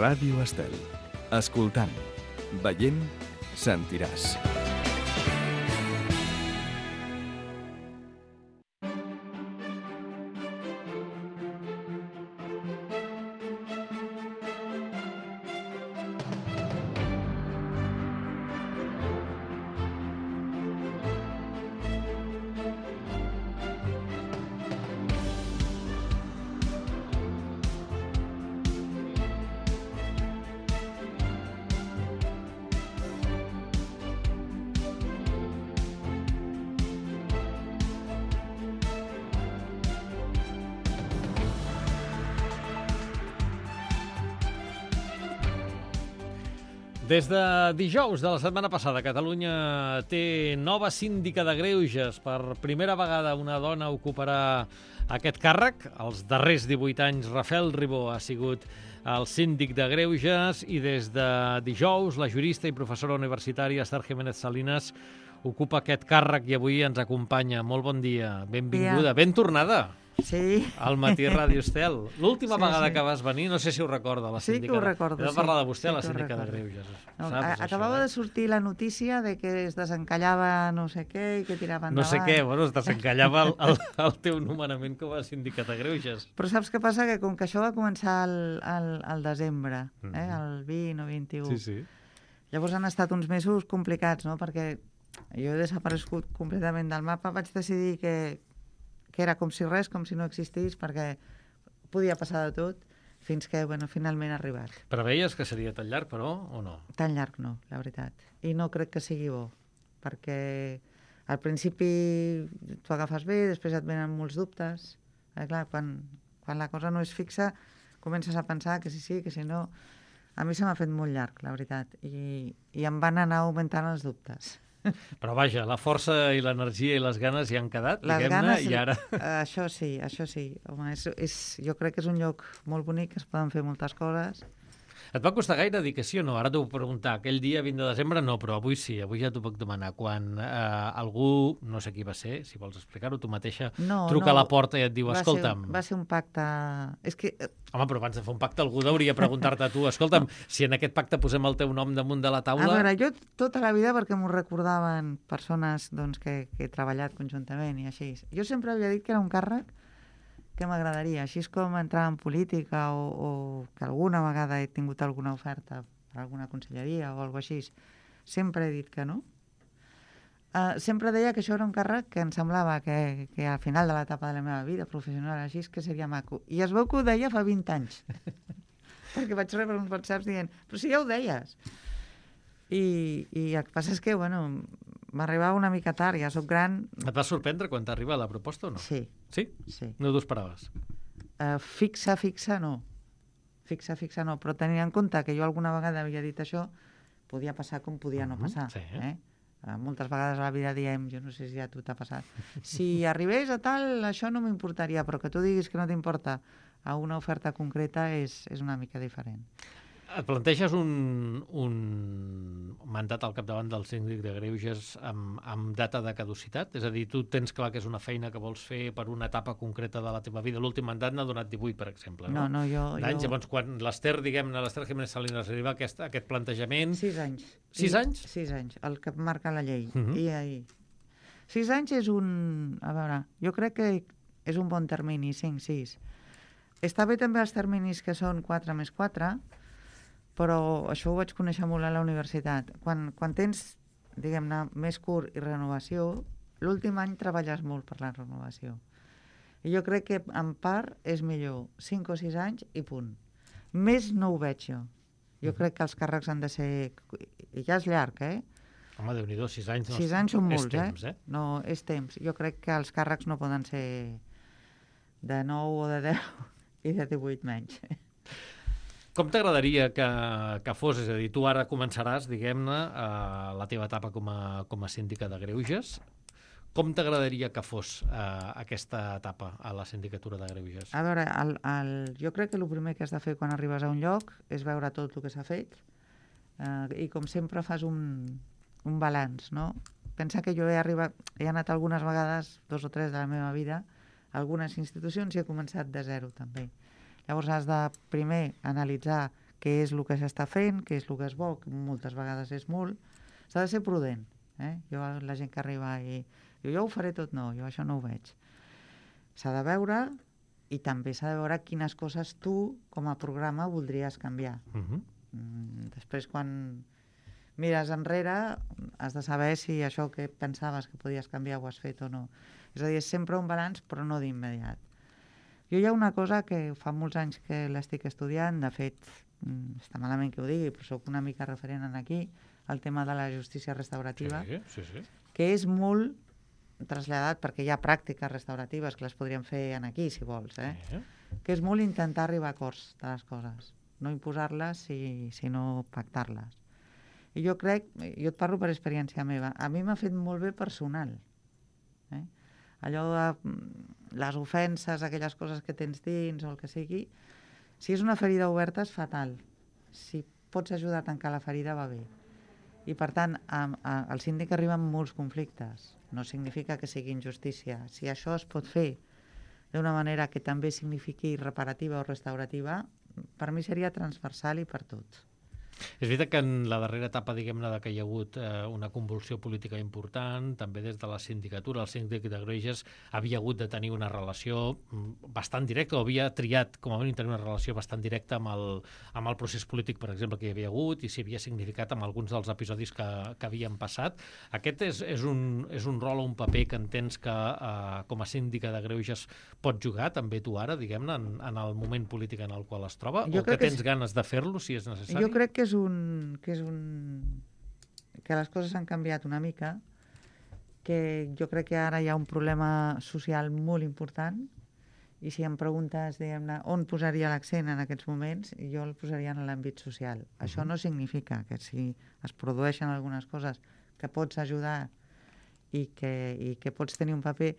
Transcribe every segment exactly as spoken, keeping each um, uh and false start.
Ràdio Estel. Escoltant, veient, sentiràs. Des de dijous de la setmana passada, Catalunya té nova síndica de greuges. Per primera vegada una dona ocuparà aquest càrrec. Els darrers divuit anys, Rafael Ribó ha sigut el síndic de greuges i des de dijous la jurista i professora universitària Esther Jiménez Salinas ocupa aquest càrrec i avui ens acompanya. Molt bon dia, benvinguda, Dia. ben tornada. Sí. Al Matí Ràdio Estel. L'última Sí, vegada sí. que vas venir, no sé si ho recorda la Sí síndica. que ho recordo, He de sí. parlar de vostè, Sí la que ho síndica de recordo. greuges. No, Saps, a- això, acabava eh? de sortir la notícia de que es desencallava no sé què i que tirava No endavant. sé què, bueno, es desencallava el, el, el teu nomenament com a síndica de greuges. Però saps què passa? Que com que això va començar al, al, al desembre, eh? Mhm. el vint o vint-i-u, Sí, sí. llavors han estat uns mesos complicats, no? Perquè jo he desaparegut completament del mapa, vaig decidir que, que era com si res, com si no existís, perquè podia passar de tot, fins que, bueno, finalment ha arribat. Preveies que seria tan llarg, però, o no? Tan llarg no, la veritat. I no crec que sigui bo, perquè al principi t'ho agafes bé, després et venen molts dubtes. Eh, clar, quan, quan la cosa no és fixa, comences a pensar que sí, sí, que si no... A mi se m'ha fet molt llarg, la veritat, i, i em van anar augmentant els dubtes. Però vaja, la força i l'energia i les ganes hi han quedat, Les diguem-ne, ganes, i ara... eh, això sí, això sí. Home, és, és, jo crec que és un lloc molt bonic, es poden fer moltes coses. Et va costar gaire dir que sí o no? Ara t'ho puc preguntar. Aquell dia, vint de desembre, no, però avui sí, avui ja t'ho puc demanar. Quan eh, algú, no sé qui va ser, si vols explicar-ho, tu mateixa, No, truca no, a la porta i et diu, va escolta'm... Ser, va ser un pacte... És que eh, Home, però abans de fer un pacte algú hauria preguntar-te a tu, escolta'm, si en aquest pacte posem el teu nom damunt de la taula... A veure, jo tota la vida, perquè m'ho recordaven persones doncs, que, que he treballat conjuntament i així, jo sempre havia dit que era un càrrec que m'agradaria, així és com entrar en política o, o que alguna vegada he tingut alguna oferta per alguna conselleria o alguna així. Sempre he dit que no. Uh, sempre deia que això era un càrrec que em semblava que, que al final de l'etapa de la meva vida professional així que seria maco. I es veu que ho deia fa vint anys. Perquè vaig rebre uns whatsapps dient, però si ja ho deies. I, i el que passa és que, bueno, m'arribava una mica tard, ja sóc gran. Et va sorprendre quan t'arriba la proposta o no? Sí, Sí? sí. No t'ho esperaves? Uh, fixa, fixa, no. Fixa, fixa, no. Però tenint en compte que jo alguna vegada havia dit això, podia passar com podia no Mhm, passar. sí. Eh? Uh, moltes vegades a la vida diem, jo no sé si a tu t'ha passat, si arribés a tal, això no m'importaria, però que tu diguis que no t'importa a una oferta concreta és, és una mica diferent. Et planteges un, un mandat al capdavant del síndic de greuges amb, amb data de caducitat? És a dir, tu tens clar que és una feina que vols fer per una etapa concreta de la teva vida. L'últim mandat n'ha donat divuit, per exemple. No, no, jo... D'anys, jo... llavors, quan l'Ester, diguem-ne, l'Ester Jiménez Salinas arriba a aquest, a aquest plantejament... Sis anys. Sis I- anys? Sis anys, el que marca la llei. Mhm. I ahir. Sis anys és un... A veure, jo crec que és un bon termini, cinc, sis. Està bé també els terminis que són quatre més quatre, però això ho vaig conèixer molt a la universitat. Quan, quan tens, diguem-ne, més curt i renovació, l'últim any treballes molt per la renovació. I jo crec que en part és millor cinc o sis anys i punt. Més no ho veig jo. Jo crec que els càrrecs han de ser... I ja és llarg, eh? Home, Déu-n'hi-do, sis anys... No, Sis anys són molts, és temps, eh? eh? No, és temps. Jo crec que els càrrecs no poden ser de nou o de deu i de divuit menys. Com t'agradaria que, que fos? És a dir, tu ara començaràs, diguem-ne, eh, la teva etapa com a, com a síndica de greuges. Com t'agradaria que fos eh, aquesta etapa a la sindicatura de greuges? A veure, el, el, jo crec que el primer que has de fer quan arribes a un lloc és veure tot el que s'ha fet eh, i com sempre fas un, un balanç, no? Pensa que jo he arribat, he anat algunes vegades, dos o tres de la meva vida, a algunes institucions i he començat de zero també. Llavors has de primer analitzar què és el que s'està fent, què és el que és bo, que moltes vegades és molt. S'ha de ser prudent. Eh? Jo, la gent que arriba i diu, jo ho faré tot, no, jo això no ho veig. S'ha de veure i també s'ha de veure quines coses tu, com a programa, voldries canviar. Uh-huh. Mm, després, quan mires enrere, has de saber si això que pensaves que podies canviar ho has fet o no. És a dir, és sempre un balanç, però no d'immediat. Jo hi ha una cosa que fa molts anys que l'estic estudiant, de fet, està malament que ho digui, però soc una mica referent en aquí, el tema de la justícia restaurativa, sí, sí, sí. que és molt traslladat, perquè hi ha pràctiques restauratives que les podríem fer en aquí, si vols, eh? Sí. Que és molt intentar arribar a acords de les coses, no imposar-les, sinó pactar-les. I jo crec, jo et parlo per experiència meva, a mi m'ha fet molt bé personal. Eh? Allò de les ofenses, aquelles coses que tens dins o el que sigui, si és una ferida oberta és fatal. Si pots ajudar a tancar la ferida va bé. I per tant, a, a, al síndic arriben molts conflictes. No significa que sigui injustícia. Si això es pot fer d'una manera que també signifiqui reparativa o restaurativa, per mi seria transversal i per tots. És veritat que en la darrera etapa, diguem-ne, que hi ha hagut eh, una convulsió política important, també des de la sindicatura, el síndic de Greuges havia hagut de tenir una relació bastant directa, o havia triat, com a mínim, tenir una relació bastant directa amb el, amb el procés polític, per exemple, que hi havia hagut, i s'hi havia significat amb alguns dels episodis que, que havien passat. Aquest és, és, un, és un rol o un paper que entens que, eh, com a síndica de Greuges, pot jugar, també tu ara, diguem-ne, en, en el moment polític en el qual es troba, jo o que tens que és... ganes de fer-lo, si és necessari? Jo crec que és un, que és un... que les coses han canviat una mica, que jo crec que ara hi ha un problema social molt important, i si em preguntes, diguem-ne, on posaria l'accent en aquests moments, jo el posaria en l'àmbit social. Uh-huh. Això no significa que si es produeixen algunes coses que pots ajudar i que, i que pots tenir un paper,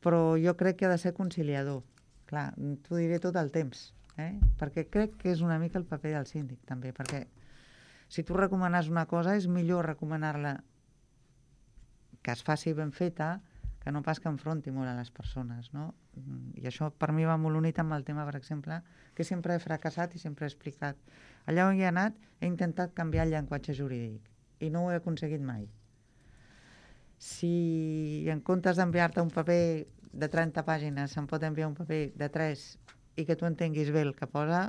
però jo crec que ha de ser conciliador. Clar, t'ho diré tot el temps, eh? Perquè crec que és una mica el paper del síndic, també, perquè si tu recomanes una cosa, és millor recomanar-la que es faci ben feta, que no pas que enfronti molt a les persones, no? I això per mi va molt unit amb el tema, per exemple, que sempre he fracassat i sempre he explicat. Allà on hi he anat, he intentat canviar el llenguatge jurídic i no ho he aconseguit mai. Si en comptes d'enviar-te un paper de trenta pàgines se'n pot enviar un paper de tres i que tu entenguis bé el que posa,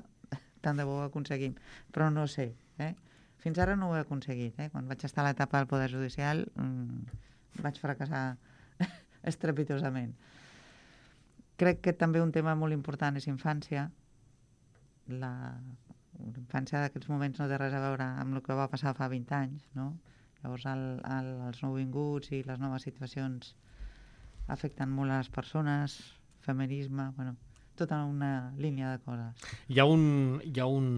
tant de bo ho aconseguim. Però no sé. Eh? Fins ara no ho he aconseguit. Eh? Quan vaig estar a l'etapa del Poder Judicial mmm, vaig fracassar estrepitosament. Crec que també un tema molt important és infància. La infància d'aquests moments no té res a veure amb el que va passar fa vint anys, no? Llavors el, el, els nouvinguts i les noves situacions afecten molt a les persones, feminisme, bueno, tota una línia de coses. Hi ha, un, hi, ha un,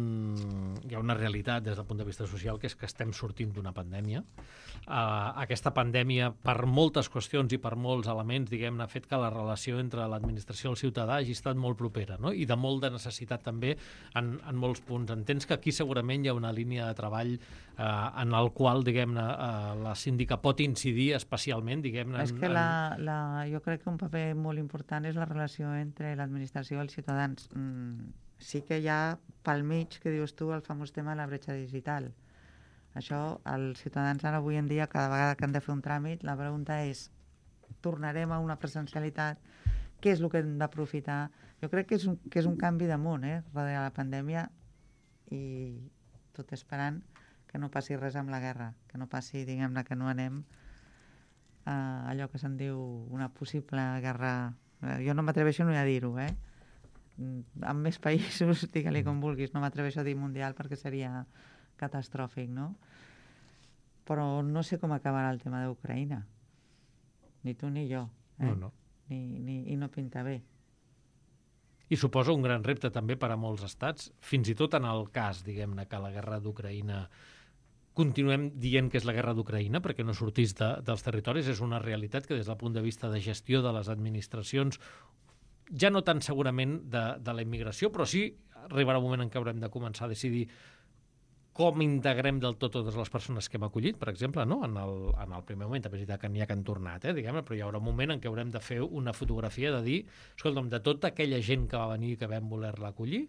hi ha una realitat des del punt de vista social, que és que estem sortint d'una pandèmia. Uh, aquesta pandèmia, per moltes qüestions i per molts elements, diguem-ne, ha fet que la relació entre l'administració i el ciutadà hagi estat molt propera, no? I de molt de necessitat també en, en molts punts. Entens que aquí segurament hi ha una línia de treball uh, en el qual, diguem-ne, uh, la síndica pot incidir especialment, diguem-ne... És que en... la, la, jo crec que un paper molt important és la relació entre l'administració i els ciutadans. Mm, sí que hi ha pel mig, que dius tu, el famós tema de la bretxa digital. Això, els ciutadans ara avui en dia, cada vegada que han de fer un tràmit, la pregunta és, tornarem a una presencialitat? Què és el que hem d'aprofitar? Jo crec que és un, que és un canvi de món, eh, darrere la pandèmia, i tot esperant que no passi res amb la guerra, que no passi, diguem-ne, que no anem a allò que se'n diu una possible guerra. Jo no m'atreveixo ni a dir-ho, eh? En més països, digue-li com vulguis, no m'atreveixo a dir mundial perquè seria catastròfic, no? Però no sé com acabarà el tema d'Ucraïna. Ni tu ni jo. Eh? No, no. Ni, ni, I no pinta bé. I suposa un gran repte també per a molts estats, fins i tot en el cas, diguem-ne, que la guerra d'Ucraïna continuem dient que és la guerra d'Ucraïna perquè no sortís de, dels territoris, és una realitat que des del punt de vista de gestió de les administracions, ja no tant segurament de, de la immigració, però sí arribarà un moment en què haurem de començar a decidir com integrem del tot totes les persones que hem acollit, per exemple, no? en, el, en el primer moment, també és veritat que n'hi ha que han tornat, eh, diguem-ne, però hi haurà un moment en què haurem de fer una fotografia de dir, escolta'm, de tota aquella gent que va venir i que vam voler-la acollir,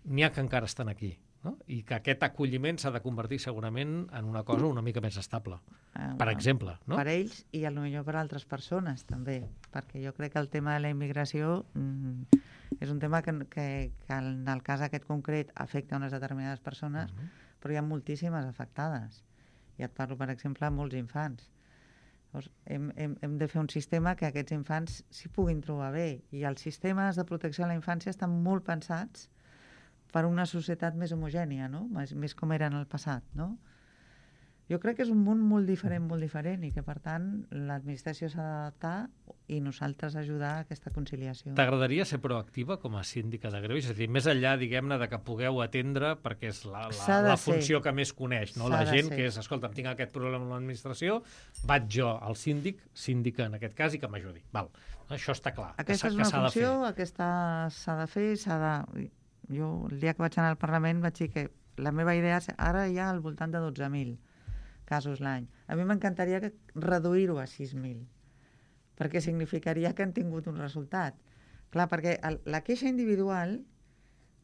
n'hi ha que encara estan aquí, no? I que aquest acolliment s'ha de convertir segurament en una cosa una mica més estable, Eh, per exemple, no? Per ells i potser per altres persones també, perquè jo crec que el tema de la immigració mm, és un tema que, que, que en el cas aquest concret afecta unes determinades persones, Mhm. però hi ha moltíssimes afectades. I et parlo, per exemple, de molts infants. Llavors, hem, hem, hem de fer un sistema que aquests infants s'hi puguin trobar bé. I els sistemes de protecció a la infància estan molt pensats per una societat més homogènia, no? Més, més com era en el passat, no? Jo crec que és un món molt diferent, molt diferent, i que, per tant, l'administració s'ha d'adaptar i nosaltres ajudar a aquesta conciliació. T'agradaria ser proactiva com a síndica de greuges? És a dir, més enllà, diguem-ne, de que pugueu atendre, perquè és la, S'ha la, de la ser. funció que més coneix, no? La S'ha de gent ser. que és, escolta, tinc aquest problema amb l'administració, vaig jo al síndic, síndica en aquest cas, i que m'ajudi. Val, això està clar. que Aquesta s'ha- és que una s'ha de fer. funció, aquesta s'ha de fer, s'ha de... Jo, el dia que vaig anar al Parlament, vaig dir que la meva idea és, ara hi ha al voltant de dotze mil casos l'any. A mi m'encantaria que- reduir-ho a sis mil, perquè significaria que han tingut un resultat. Clar, perquè el, la queixa individual,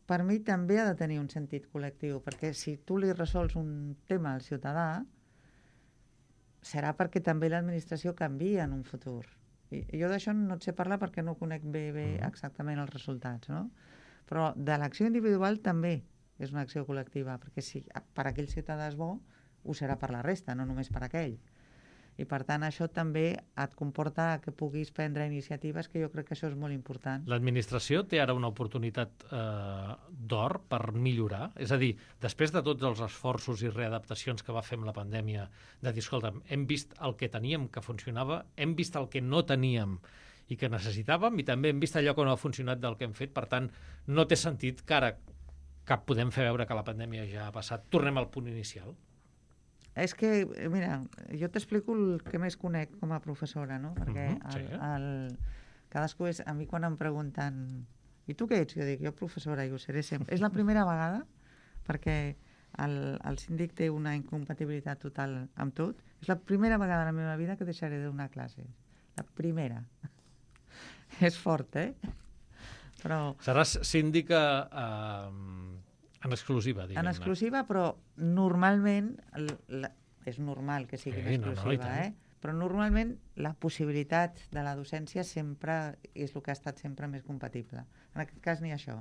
per mi, també ha de tenir un sentit col·lectiu, perquè si tu li resols un tema al ciutadà, serà perquè també l'administració canvia en un futur. I, i jo d'això no et sé parlar perquè no conec bé, bé Mhm. exactament els resultats, no? Però de l'acció individual també és una acció col·lectiva, perquè si per aquell ciutadà és bo, ho serà per la resta, no només per aquell. I per tant això també et comporta que puguis prendre iniciatives, que jo crec que això és molt important. L'administració té ara una oportunitat eh, d'or per millorar? És a dir, després de tots els esforços i readaptacions que va fer amb la pandèmia, de dir, escolta, hem vist el que teníem que funcionava, hem vist el que no teníem i que necessitàvem, i també hem vist allò que no ha funcionat del que hem fet. Per tant, no té sentit que ara que podem fer veure que la pandèmia ja ha passat, tornem al punt inicial. És que, mira, jo t'explico el que més conec com a professora, no? Perquè Mhm, sí. el, el, cadascú és... A mi quan em pregunten i tu què ets? Jo dic, jo professora, i ho seré sempre. És la primera vegada, perquè el, el síndic té una incompatibilitat total amb tot. És la primera vegada a la meva vida que deixaré de donar classes. La primera. És fort, eh? Però... Seràs síndica eh, en exclusiva, En diguem-ne. exclusiva, però normalment, l- la, és normal que sigui Sí, en no, no, i exclusiva, tant. eh? Però normalment la possibilitat de la docència sempre és el que ha estat sempre més compatible. En aquest cas ni això.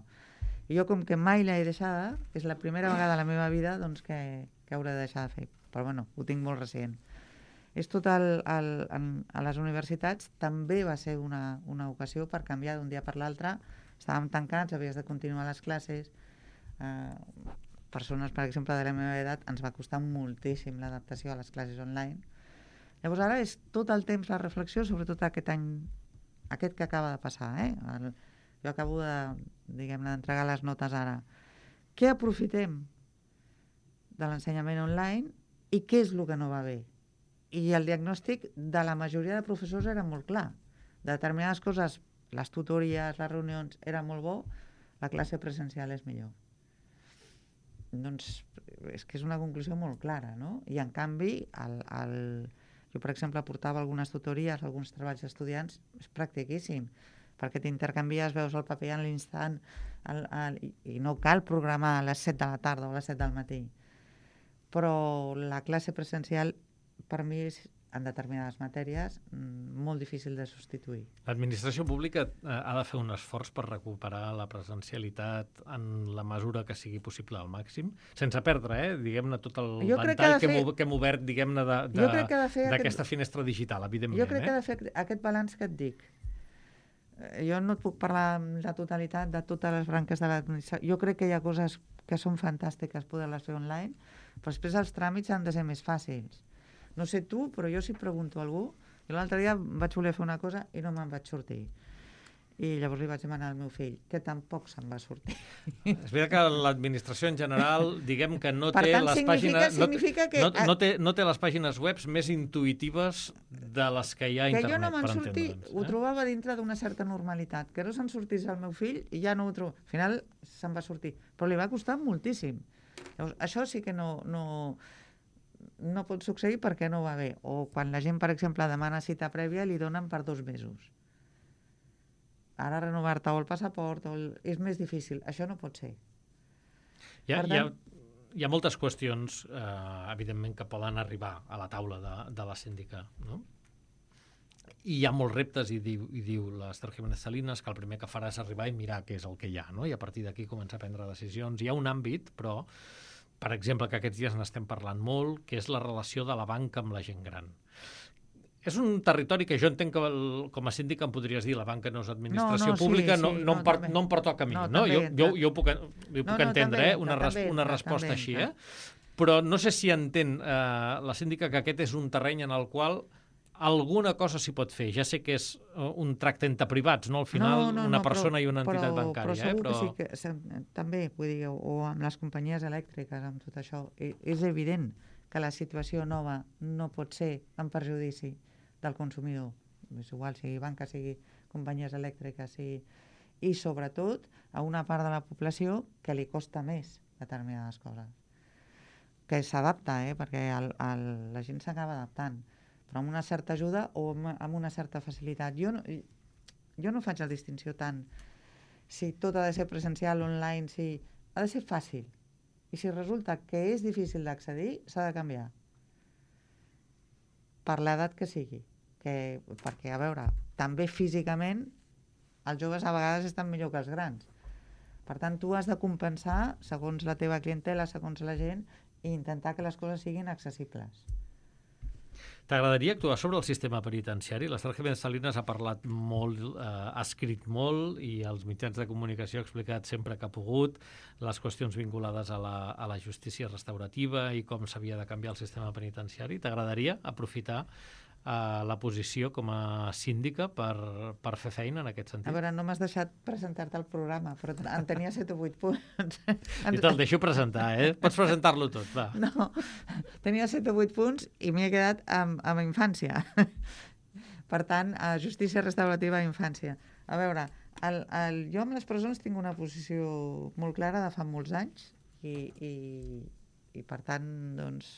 I jo, com que mai l'he deixada, és la primera vegada a la meva vida doncs, que, que hauré de deixar de fer. Però bueno, ho tinc molt recent. És tot el, el, en, a les universitats també va ser una, una ocasió per canviar d'un dia per l'altre. Estàvem tancats, havies de continuar les classes. Eh, persones, per exemple, de la meva edat, ens va costar moltíssim l'adaptació a les classes online. Llavors ara és tot el temps la reflexió, sobretot aquest any, aquest que acaba de passar. Eh? El, jo acabo de, diguem-ne, d'entregar les notes ara. Què aprofitem de l'ensenyament online i què és el que no va bé? I el diagnòstic de la majoria de professors era molt clar. De determinades coses, les tutories, les reunions, era molt bo, la classe presencial és millor. Doncs és que és una conclusió molt clara, no? I en canvi, el, el... jo per exemple portava algunes tutories, alguns treballs d'estudiants, és practiquíssim, perquè t'intercanvies, veus el paper en l'instant, el, el, i, i no cal programar a les set de la tarda o a les set del matí. Però la classe presencial per mi és, en determinades matèries, molt difícil de substituir. L'administració pública eh, ha de fer un esforç per recuperar la presencialitat en la mesura que sigui possible al màxim, sense perdre, eh, diguem-ne, tot el Jo crec que ventall ha de que, fer- hem, ob- que hem obert, diguem-ne, de- de- Jo crec que ha de fer d'aquesta aquest- finestra digital, evidentment. Jo crec que eh? ha de fer aquest balanç que et dic. Eh, Jo no et puc parlar amb la totalitat de totes les branques de l'administració. Jo crec que hi ha coses que són fantàstiques poder-les fer online, però després els tràmits han de ser més fàcils. No sé tu, però jo si pregunto a algú... Jo l'altre dia vaig voler fer una cosa i no me'n vaig sortir. I llavors li vaig demanar al meu fill, que tampoc se'n va sortir. És veritat que l'administració en general, diguem que no Per té tant, les significa- pàgines... significa no, que- no, no, té, no té les pàgines web més intuïtives de les que hi ha a Que internet, jo no me'n per sortir, entendre'ns. ho eh? trobava dintre d'una certa normalitat. Que no se'n sortís el meu fill i ja no ho trobo. Al final se'n va sortir. Però li va costar moltíssim. Llavors, això sí que no, no, no pot succeir perquè no va bé. O quan la gent, per exemple, demana cita prèvia, li donen per dos mesos. Ara renovar-te o el passaport o el... és més difícil. Això no pot ser. Hi ha, Per hi ha, tant, hi ha moltes qüestions, eh, evidentment, que poden arribar a la taula de, de la síndica, no? I hi ha molts reptes, i diu, i diu l'Ester Jiménez Salinas que el primer que farà és arribar i mirar què és el que hi ha, no? I a partir d'aquí començar a prendre decisions. Hi ha un àmbit, però, per exemple, que aquests dies n'estem parlant molt, que és la relació de la banca amb la gent gran. És un territori que jo entenc que el, com a síndic em podries dir la banca no és administració No, no, sí, pública, no, sí, no, no, em per, també. no em pertoca a mi, No, no? també Jo, jo, entra. jo ho puc, ho puc No, no, entendre, també eh? una, entra, res, també una entra, resposta també així, entra. eh? Però no sé si entén eh, la síndica que aquest és un terreny en el qual alguna cosa s'hi pot fer. Ja sé que és uh, un tracte entre privats, no? Al final, no, no, una no, persona però, i una entitat però, bancària. Però segur eh? però... que sí que se- també, vull dir, o, o amb les companyies elèctriques, amb tot això, i- és evident que la situació nova no pot ser en perjudici del consumidor. És igual, sigui banca, sigui companyies elèctriques, sigui... i sobretot a una part de la població que li costa més determinades coses. Que s'adapta, eh? Perquè el, el, la gent s'acaba adaptant, però amb una certa ajuda o amb, amb una certa facilitat. Jo no, jo no faig la distinció tant si tot ha de ser presencial, online, si ha de ser fàcil. I si resulta que és difícil d'accedir, s'ha de canviar. Per l'edat que sigui. Que, perquè, a veure, també físicament els joves a vegades estan millor que els grans. Per tant, tu has de compensar segons la teva clientela, segons la gent, i intentar que les coses siguin accessibles. T'agradaria actuar sobre el sistema penitenciari? L'Ester Jiménez Salinas ha parlat molt, eh, ha escrit molt i als mitjans de comunicació ha explicat sempre que ha pogut les qüestions vinculades a la, a la justícia restaurativa i com s'havia de canviar el sistema penitenciari. T'agradaria aprofitar a la posició com a síndica per, per fer feina en aquest sentit? A veure, no m'has deixat presentar-te el programa, però en tenia set o vuit punts. Jo te'l deixo presentar, eh? Pots presentar-lo tot, va. No, tenia set o vuit punts i m'hi he quedat amb, amb infància. Per tant, a justícia restaurativa a infància. A veure, el, el, jo amb les presons tinc una posició molt clara de fa molts anys i, i, i per tant, doncs,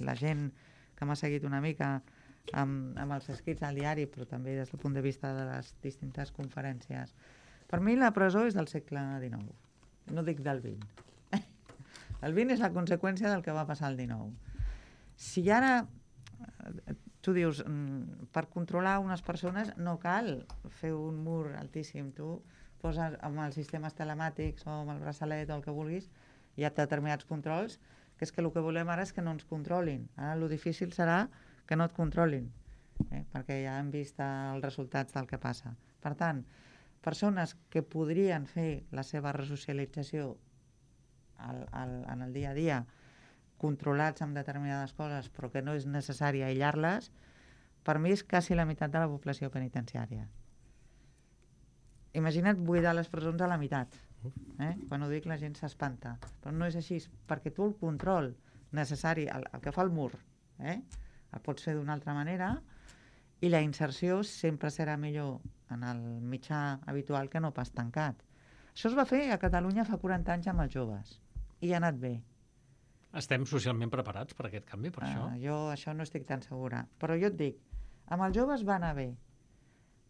la gent que m'ha seguit una mica amb, amb els escrits al diari, però també des del punt de vista de les distintes conferències. Per mi la presó és del segle dinou, no dic del vint. El vint és la conseqüència del que va passar al dinou. Si ara, tu dius, per controlar unes persones no cal fer un mur altíssim, tu poses amb els sistemes telemàtics o amb el braçalet o el que vulguis, hi ha determinats controls, que és que el que volem ara és que no ens controlin. Ara el difícil serà que no et controlin, eh? Perquè ja hem vist els resultats del que passa. Per tant, persones que podrien fer la seva resocialització al, al, en el dia a dia, controlats amb determinades coses, però que no és necessari aïllar-les, per mi és quasi la meitat de la població penitenciària. Imagina't buidar les presons a la meitat. Eh? Quan ho dic la gent s'espanta, però no és així, perquè tu el control necessari, el, el que fa el mur, eh? El pots fer d'una altra manera i la inserció sempre serà millor en el mitjà habitual que no pas tancat. Això es va fer a Catalunya fa quaranta anys amb els joves i ha anat bé. Estem socialment preparats per aquest canvi, per uh, això? Jo això no estic tan segura, però jo et dic, amb els joves va anar bé.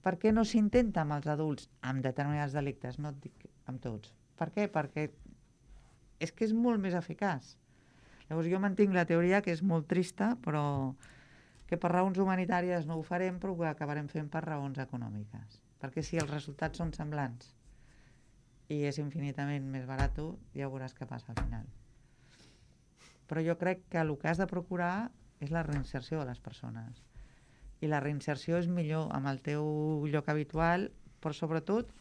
Per què no s'intenta amb els adults amb determinats delictes? No et dic amb tots. Per què? Perquè és que és molt més eficaç. Llavors jo mantinc la teoria que és molt trista, però que per raons humanitàries no ho farem, però ho acabarem fent per raons econòmiques. Perquè si els resultats són semblants i és infinitament més barat, ja veuràs què passa al final. Però jo crec que el que has de procurar és la reinserció de les persones. I la reinserció és millor amb el teu lloc habitual, però sobretot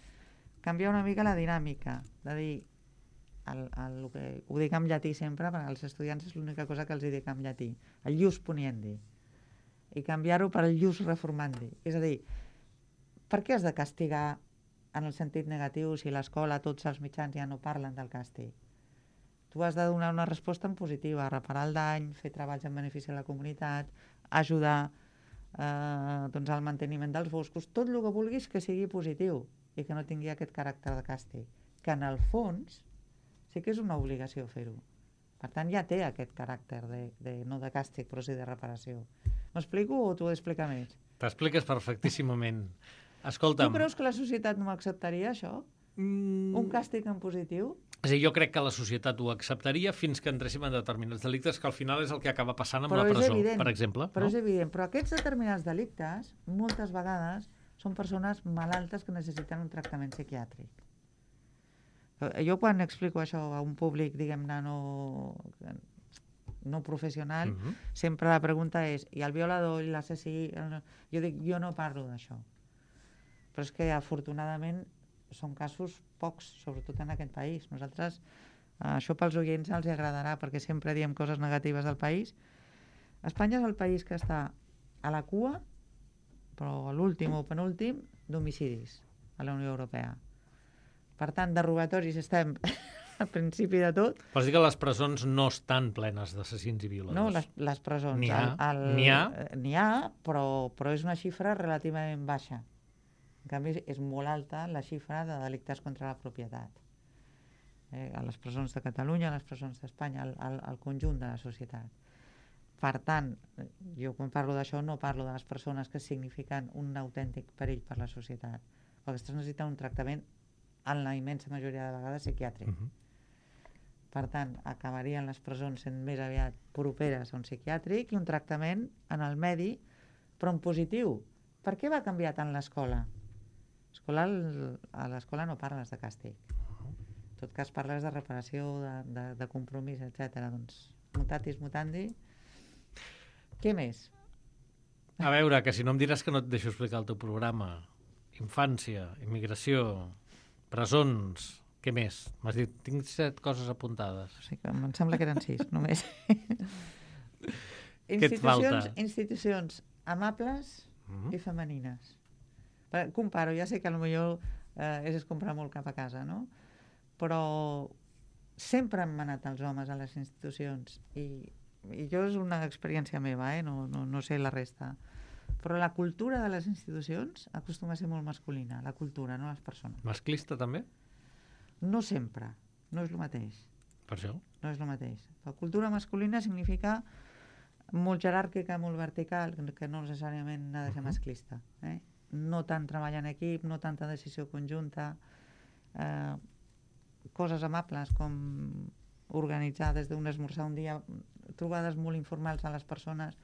canviar una mica la dinàmica, de dir, el, el, el que, ho dic en llatí sempre, perquè als estudiants és l'única cosa que els dic en llatí, el ius puniendi, i canviar-ho per el ius reformandi. És a dir, per què has de castigar en el sentit negatiu si l'escola, tots els mitjans ja no parlen del càstig? Tu has de donar una resposta en positiva, reparar el dany, fer treballs en benefici de la comunitat, ajudar eh, doncs al manteniment dels boscos, tot el que vulguis que sigui positiu i que no tingui aquest caràcter de càstig, que en el fons sí que és una obligació fer-ho. Per tant, ja té aquest caràcter de, de no de càstig, però sí de reparació. M'explico o t'ho he d'explicar més? T'expliques perfectíssimament. Escolta'm... Tu creus que la societat no acceptaria això? Mm. Un càstig en positiu? És a dir, jo crec que la societat ho acceptaria fins que entréssim en determinats delictes, que al final és el que acaba passant amb Però la és presó, evident, per exemple. Però no? és evident. Però aquests determinats delictes, moltes vegades, són persones malaltes que necessiten un tractament psiquiàtric. Jo quan explico això a un públic, diguem-ne, no, no professional, Uh-huh. sempre la pregunta és, i el violador, i l'assassí? El... Jo dic, jo no parlo d'això. Però és que, afortunadament, són casos pocs, sobretot en aquest país. Nosaltres, això pels oients els agradarà, perquè sempre diem coses negatives del país. Espanya és el país que està a la cua, però a l'últim o penúltim, d'homicidis a la Unió Europea. Per tant, de robatoris estem al principi de tot. Vols dir que les presons no estan plenes d'assassins i violadors? No, les, les presons. N'hi ha, el, el, n'hi ha. N'hi ha, però, però és una xifra relativament baixa. En canvi, és molt alta la xifra de delictes contra la propietat. Eh, a les presons de Catalunya, a les presons d'Espanya, al, al, al conjunt de la societat. Per tant, jo quan parlo d'això no parlo de les persones que signifiquen un autèntic perill per la societat, perquè aquestes necessiten un tractament en la immensa majoria de vegades psiquiàtric. Uh-huh. Per tant, acabarien les presons sent més aviat properes a un psiquiàtric i un tractament en el medi, però en positiu. Per què va canviar tant l'escola? Escola, a l'escola no parles de càstig. En tot cas parles de reparació, de, de, de compromís, etcètera. Doncs mutatis mutandi. Què més? A veure, que si no em diràs que no et deixo explicar el teu programa. Infància, immigració, presons, què més? M'has dit, tinc set coses apuntades. O sigui que em sembla que eren sis, només. Què et falta? Institucions, institucions amables Uh-huh. i femenines. Per- Comparo, ja sé que potser eh, és comprar molt cap a casa, no? Però sempre han manat els homes a les institucions i, i jo és una experiència meva, eh? no, no, no sé la resta. Però la cultura de les institucions acostuma a ser molt masculina, la cultura, no les persones. Masclista també? No sempre, no és el mateix. Per això? No és el mateix. La cultura masculina significa molt jeràrquica, molt vertical, que no necessàriament ha de ser Uh-huh. masclista. Eh? No tant treball en equip, no tanta decisió conjunta, eh, coses amables com organitzar des d'un esmorzar un dia, trobades molt informals a les persones.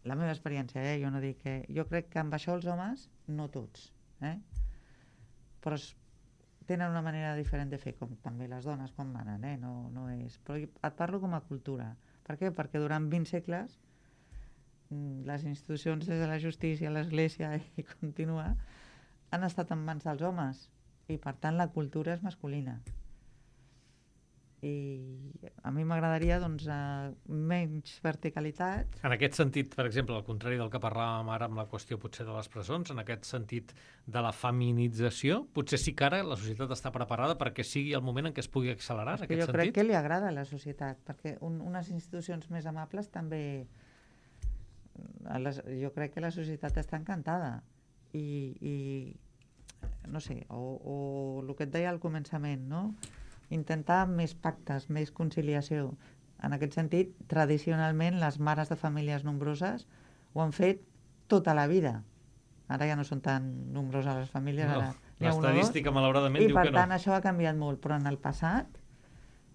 La meva experiència, eh? jo no dic que... Jo crec que amb això els homes, no tots, eh? però es, tenen una manera diferent de fer, com també les dones quan manen, eh? no, no és... Però jo et parlo com a cultura. Per què? Perquè durant vint segles les institucions des de la justícia, l'església i continua, han estat en mans dels homes i per tant la cultura és masculina. I a mi m'agradaria doncs, eh, menys verticalitat. En aquest sentit, per exemple, al contrari del que parlàvem ara amb la qüestió potser de les presons, en aquest sentit de la feminització, potser sí que ara la societat està preparada perquè sigui el moment en què es pugui accelerar, en aquest jo sentit? crec que li agrada a la societat, perquè un, unes institucions més amables també... A les, jo crec que la societat està encantada i, i no sé, o, o el que et deia al començament, no? Intentar més pactes, més conciliació. En aquest sentit, tradicionalment, les mares de famílies nombroses ho han fet tota la vida. Ara ja no són tan nombroses les famílies. No, ara n'hi ha una o dos. l'estadística, malauradament, I diu per que no. tant això ha canviat molt, però en el passat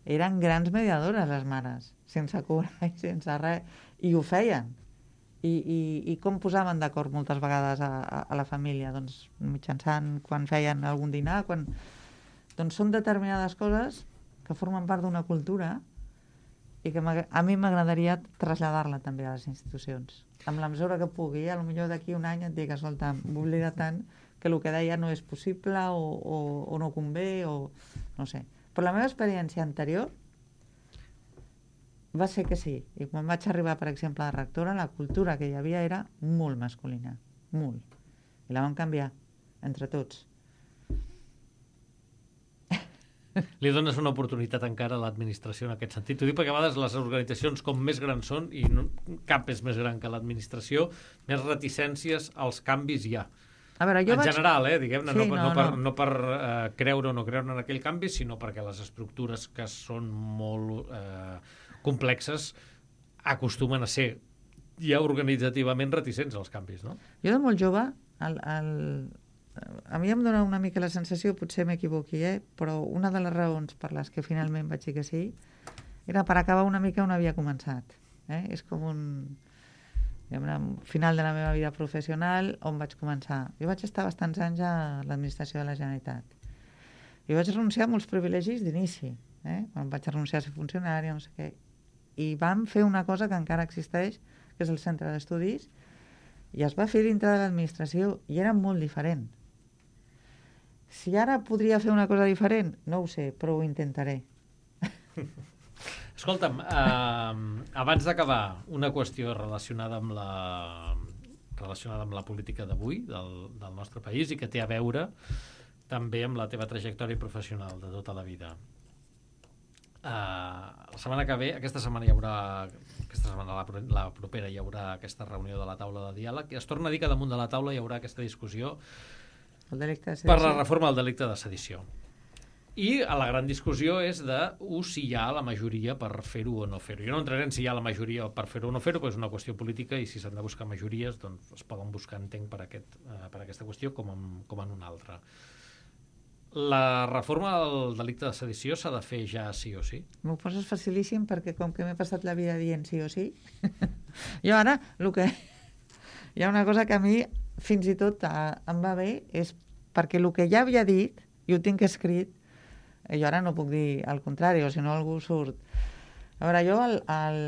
eren grans mediadores les mares, sense cobrar i sense res, i ho feien. I, i, i com posaven d'acord moltes vegades a, a, a la família? Doncs mitjançant quan feien algun dinar, quan... Doncs són determinades coses que formen part d'una cultura i que a mi m'agradaria traslladar-la també a les institucions. Amb la mesura que pugui, a lo millor d'aquí un any et dic, escolta, m'oblida tant que el que deia no és possible o, o, o no convé, o no sé. Però la meva experiència anterior va ser que sí. I quan vaig arribar, per exemple, de rectora, la cultura que hi havia era molt masculina. Molt. I la vam canviar, entre tots. Li dones una oportunitat encara a l'administració en aquest sentit. T'ho dic perquè a vegades les organitzacions com més grans són, i no, cap és més gran que l'administració, més reticències als canvis hi ha. A veure, jo en vaig... general, eh, diguem-ne, Sí, no, no, no per, no. no per eh, creure o no creure en aquell canvi, sinó perquè les estructures que són molt eh, complexes acostumen a ser ja organitzativament reticents als canvis, no? Jo de molt jove, el, el, a mi em dona una mica la sensació, potser m'equivoqui, eh? Però una de les raons per les que finalment vaig dir que sí era per acabar una mica on havia començat. Eh? És com un, un final de la meva vida professional on vaig començar. Jo vaig estar bastants anys a l'administració de la Generalitat. I vaig renunciar a molts privilegis d'inici. Eh? Quan vaig renunciar a ser funcionària, no sé què. I vam fer una cosa que encara existeix, que és el centre d'estudis, i es va fer dintre de l'administració, i era molt diferent. Si ara podria fer una cosa diferent, no ho sé, però ho intentaré. Escolta'm, eh, abans d'acabar, una qüestió relacionada amb la, relacionada amb la política d'avui, del, del nostre país, i que té a veure també amb la teva trajectòria professional de tota la vida. Eh, la setmana que ve, aquesta setmana hi haurà, aquesta setmana, la, la propera, hi haurà aquesta reunió de la taula de diàleg, i es torna a dir que damunt de la taula hi haurà aquesta discussió el delicte de per la reforma del delicte de sedició. I la gran discussió és de uh, si hi ha la majoria per fer-ho o no fer-ho. Jo no entraré en si hi ha la majoria per fer-ho o no fer-ho, però és una qüestió política i si s'han de buscar majories, doncs es poden buscar, entenc, per, aquest, uh, per aquesta qüestió com en, com en una altra. La reforma del delicte de sedició s'ha de fer ja sí o sí? M'ho poses facilíssim perquè com que m'he passat la vida dient sí o sí, jo ara el que... hi ha una cosa que a mi fins i tot uh, em va bé, és perquè el que ja havia dit, i ho tinc escrit, jo ara no puc dir el contrari, o si no algú surt. A veure, jo el... el...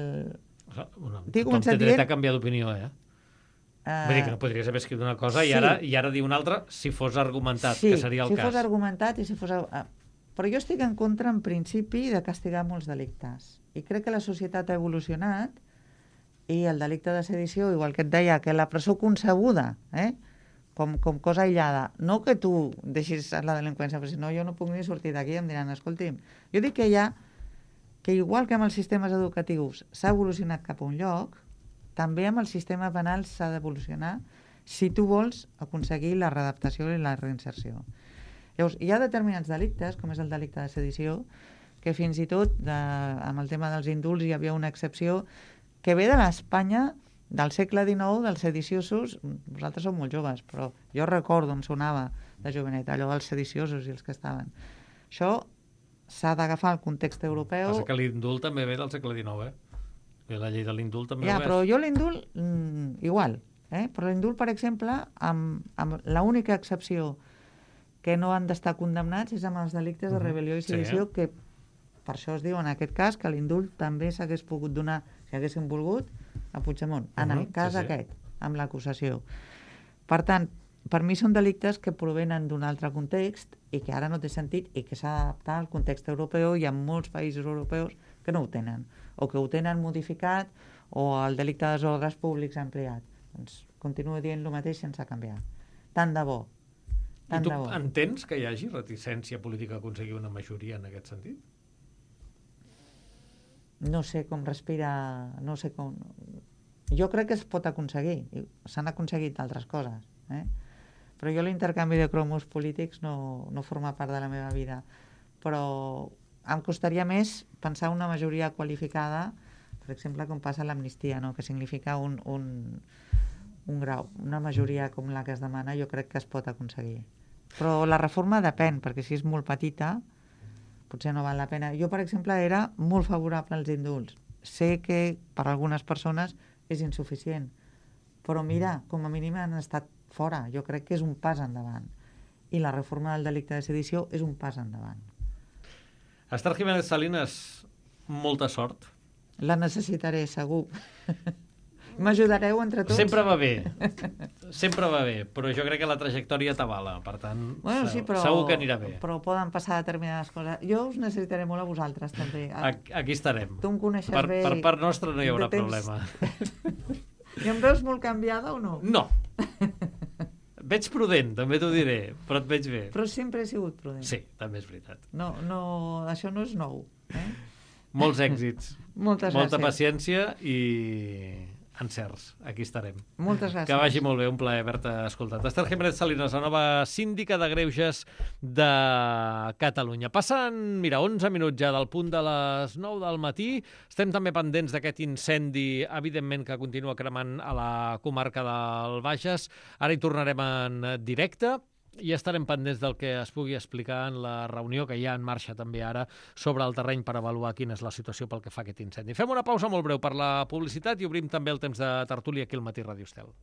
Bueno, tothom té dret dient... a canviar d'opinió, eh? Uh... Vull dir que no podries haver escrit una cosa sí. i, ara, i ara dir una altra si fos argumentat, sí, que seria el si cas. si fos argumentat i si fos... Però jo estic en contra, en principi, de castigar molts delictes. I crec que la societat ha evolucionat i el delicte de sedició, igual que et deia, que la presó concebuda, eh? Com, com cosa aïllada. No que tu deixis la delinqüència, però si no jo no puc ni sortir d'aquí i em diran, escolti'm, jo dic que hi ha, que igual que amb els sistemes educatius s'ha evolucionat cap a un lloc, també amb el sistema penal s'ha d'evolucionar si tu vols aconseguir la readaptació i la reinserció. Llavors, hi ha determinats delictes, com és el delicte de sedició, que fins i tot de, amb el tema dels indults hi havia una excepció que ve de l'Espanya del segle dinou, dels sediciosos. Vosaltres sou molt joves, però jo recordo, em sonava de jovenet, allò dels sediciosos i els que estaven. Això s'ha d'agafar el context europeu. Passa que l'indult també ve del segle dinou, eh? La llei de l'indult també ja, ho és. Però jo l'indult, mm, igual. Eh? Però l'indult, per exemple, amb, amb l'única excepció que no han d'estar condemnats és amb els delictes de rebel·lió i sedició, sí, eh? Que per això es diu en aquest cas que l'indult també s'hagués pogut donar, si haguéssim volgut, a Puigdemont, en uh -huh, el cas sí, sí. aquest, amb l'acusació. Per tant, per mi són delictes que provenen d'un altre context i que ara no té sentit i que s'ha d'adaptar al context europeu. Hi ha molts països europeus que no ho tenen, o que ho tenen modificat, o el delicte de desordres públics ampliat. Doncs continuo dient el mateix sense canviar. Tant de bo. Tant I tu de bo. entens que hi hagi reticència política a aconseguir una majoria en aquest sentit? No sé com respira, no sé com... Jo crec que es pot aconseguir, s'han aconseguit altres coses, eh? Però jo l'intercanvi de cromos polítics no, no forma part de la meva vida, però em costaria més pensar una majoria qualificada, per exemple, com passa a l'amnistia, no? Que significa un, un, un grau, una majoria com la que es demana, jo crec que es pot aconseguir. Però la reforma depèn, perquè si és molt petita, potser no val la pena. Jo, per exemple, era molt favorable als indults. Sé que per algunes persones és insuficient, però mira, com a mínim han estat fora. Jo crec que és un pas endavant. I la reforma del delicte de sedició és un pas endavant. Esther Jiménez Salinas, molta sort. La necessitaré, segur. M'ajudareu entre tots? Sempre va bé, sempre va bé, però jo crec que la trajectòria t'avala, per tant, bueno, sí, però, segur que anirà bé. Però poden passar determinades coses. Jo us necessitaré molt a vosaltres, també. Aquí estarem. Tu em coneixes per, bé. Per part nostra no hi haurà problema. I em veus molt canviada o no? No. Veig prudent, també t'ho diré, però et veig bé. Però sempre he sigut prudent. Sí, també és veritat. No, no, això no és nou. Eh? Molts èxits. Moltes Molta gràcies. paciència i encerts. Aquí estarem. Moltes gràcies. Que vagi molt bé, un plaer haver-te escoltat. Esther Jiménez Salinas, la nova síndica de greuges de Catalunya. Passen, mira, onze minuts ja del punt de les nou del matí. Estem també pendents d'aquest incendi, evidentment, que continua cremant a la comarca del Bages. Ara hi tornarem en directe. i estarem pendents del que es pugui explicar en la reunió que hi ha en marxa també ara sobre el terreny per avaluar quina és la situació pel que fa a aquest incendi. Fem una pausa molt breu per la publicitat i obrim també el temps de tertúlia aquí al Matí Ràdio Estel.